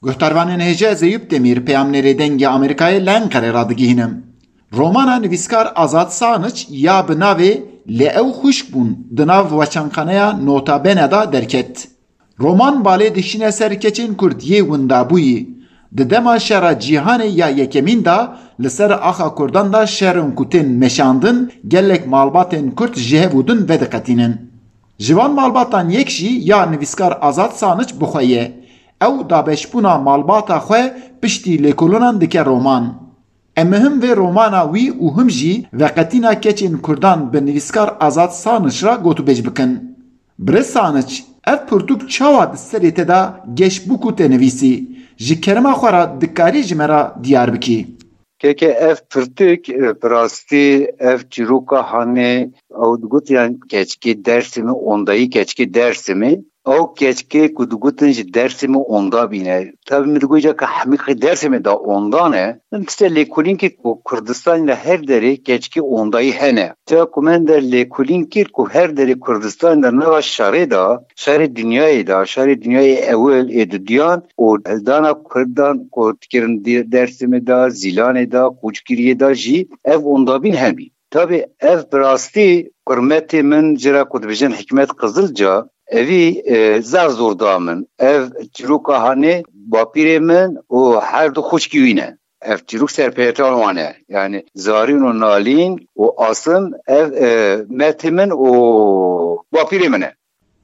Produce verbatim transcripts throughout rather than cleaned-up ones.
Guhdarvanên hêja, ez Eyûp Demîr, peyamnêrê Dengê Amerîkayê li Enqerê radigihînim. Romana nivîskar Azad Saniç ya bi navê Lê ew xwişk bûn di nav weçanxaneya Nota Bene de derket. Roman balê dişîne ser keçên Kurd yê windabûyî. Di dema şera cîhanê ya yekemîn de li ser axa Kurdan de şerin ku tên meşandin, gelek malbatên Kurd ji hev û din vediqetînin. Ji van malbatan yek jî ya nivîskar Azad Saniç bi xwe ye. Ew dabeşbûna malbata xwe piştî lêkolînan dike roman. Em him vê romana wî û him jî veqetîna keçên Kurdan bi nivîskar Azad Saniç re gotûbêj bikin. Birêz Saniç, ev pirtûk çawa di serê te de geş bû ku te nivîsî? Ji kerema xwe re dikarî ji me re diyar bikî? Keke ev pirtûk, e, bi rastî ev çîroka hanê ew digotiyan keçikê Dersimê, ondayî keçikê Dersimê. Ew keçikê ku digotin ji Dersimê onda bîne. Tabî min digot îca ke hemî qey Dersimê de onda ne. Min tiştê lêkolîn kir ku Kurdistanê de her derê keçikê ondayî hene. Çawa ku min der lêkolîn kir ku her derê Kurdistanê de nava şerê de, şerê dinyayê de, şerê dinyayê ewil ê dudiyan û hildana Kurdan ku dikirin di-, Dersimê de, Zîlanê de, Koçgiriyê de jî ev ondabîn hebî. Tabî ev bi rastî kurmetê min, jê re ku dibêjin Hikmet Qizilca, evî, e, zaf zor da min. Ev çîroka hanê bapîrê min û her du xwişkî wî ne. Ev çîrok serpêhatan wan e. Yani Zarîn û Nalîn û Asim ev, e, metê min û bapîrê min e.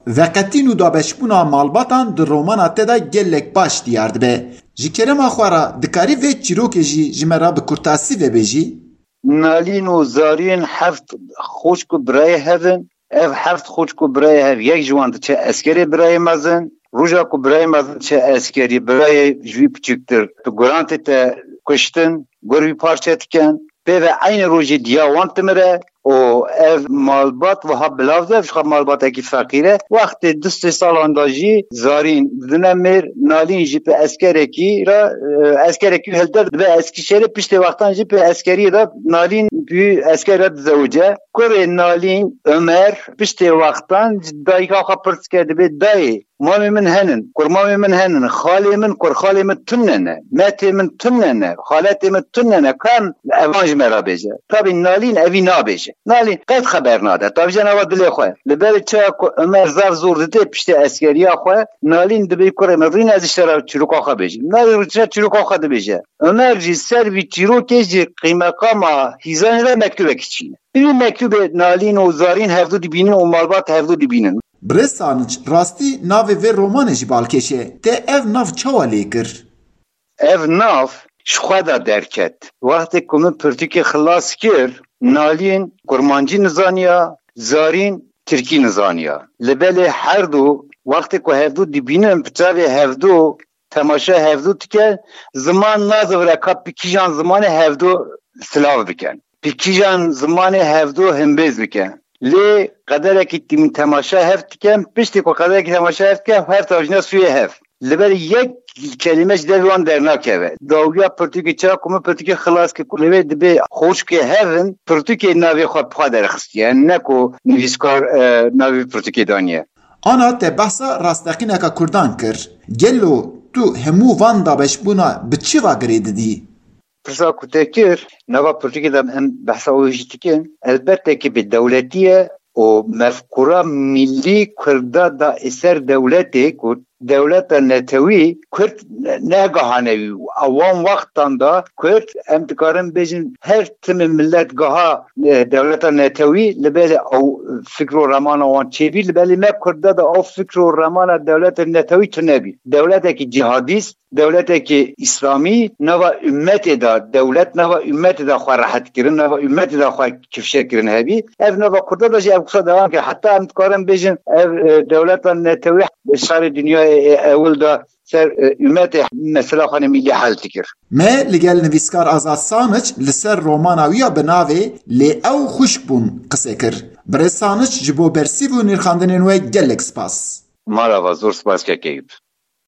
Veqetîn û dabeşbûna malbatan di romana te de gelek baş diyar dibe. Ji kerema xwe re dikarî vê çîrokê jî ji me re bi kurtasî vebêjî? Nalîn û Zarîn heft xwişk û birayê hev in. Ev heft xwişk û birayê hev, yek ji wan diçe eskerê birayê mezin. Roja ku birayê mezin diçe eskerî, birayê ji wî piçûktir, tu guran tête kuştin, gur wî parçe dikin. Pê ve eynî rojê diya wan dimire û ev malbat wiha bilav dibe, ji xwe malbatekî feqîr e. Wextê du sê salan de jî Zarîn didine mêr, Nalîn jî pê eskerekî re, e, eskerekî hilde dibe Eskîşehirê, piştê wextan jî pê eskeriyê de Nalîn pî esker re dizewice. Kurê Nalîn, Omer, piştê wextan ji dayika xwe pirs dike, dibê, Dayê, mamê min henin, kurmamê min henin, xalê min, kurxalê min tune ne, metê min tune ne, xaletê min tune ne, ka em evan ji me re bêje. Tabî Nalîn evî nabêje. Nalîn qet xeber nade, tabî jî nava dilê xwe. Li ber çawa ku Omer zaf zor dide piştê eskeriya xwe, Nalîn dibê, Kurê min, rîne ez ji te re çîroka xwe bêjim. Nalîn rîne çîroka xwe dibêje. Omer jî ser vî çîrokê ji qîmeqama hîzanê re mektûbekî çîne. Bi vî mektûbê Nalîn û Zarîn hevdû dibînin û malbat hevdû dibînin. Birêz Saniç, rastî navê vê romanê jî balkêş e. Te ev nav çawa lê kir? Ev nav ji xwe de derket. Wextê ku min pirtûkê xilas kir, Nalîn kurmancî nizaniya, Zarîn tirkî nizaniya. Li belê her du, wextê ku hevdû dibînin, bi çavê hevdû temaşa hevdû dike, ziman nazivire ka bi kîjan zimanê hevdû silav bikin. Bi kîjan zimanê hevdû himbêz bikin. Lê qederekî tîm temaşa hev dikin, piştî ku qederekî temaşa hev dikin, her tavjîna sûyê hev. Li ber yek kelîme ji devê wan dernakeve. Dawiya pirtûkê, çawa ku min pirtûkê xilas kir, ku li wê dibê xwişkê hev in, pirtûkê navê xwe bi xwe derxistiye. Ne ku nivîskar, e, navê pirtûkê daniye. Ana te behsa rasteqîneka Kurdan kir. Gelo tu hemû van dabeşbûna bi çi va girê didî? Pirsa ku te kir, nava pirtûkê de em behsa wê jî dikin. Elbette ki bi dewletî ye û mefkûra millî Kurda da ser dewletê ku dewleta netewî Kurd negahane wî. A wan wextan da Kurd, em dikarin bêjin, her timî millet gaha, e, dewleta netewî, li belê ew fikr û remana wan çêbî, li belê me Kurda da ew fikr û remana dewleta netewî tunebî. Dewletekî cihadîst, dewletekî îslamî nava ummetê de, dewlet nava ummetê de xwe rehet kirin, nava ummetê de xwe kifşe kirin hebî. Ev nava Kurda de jî ev qisa dewam kir. Heta em dikarin bêjin, ev, e, dewleta netewî şerê dinyayê, e, ewil de ser, e, ummetê mesela xwe ne millî hel dikir. Me li gel nivîskar Azad Saniç li ser romana wî ya bi navê Lê ew xwişk bûn qise kir. Birêz Saniç, ji bo bersîv û nirxandinên we gelek spas. Mala va, zor spas kek Eyûp.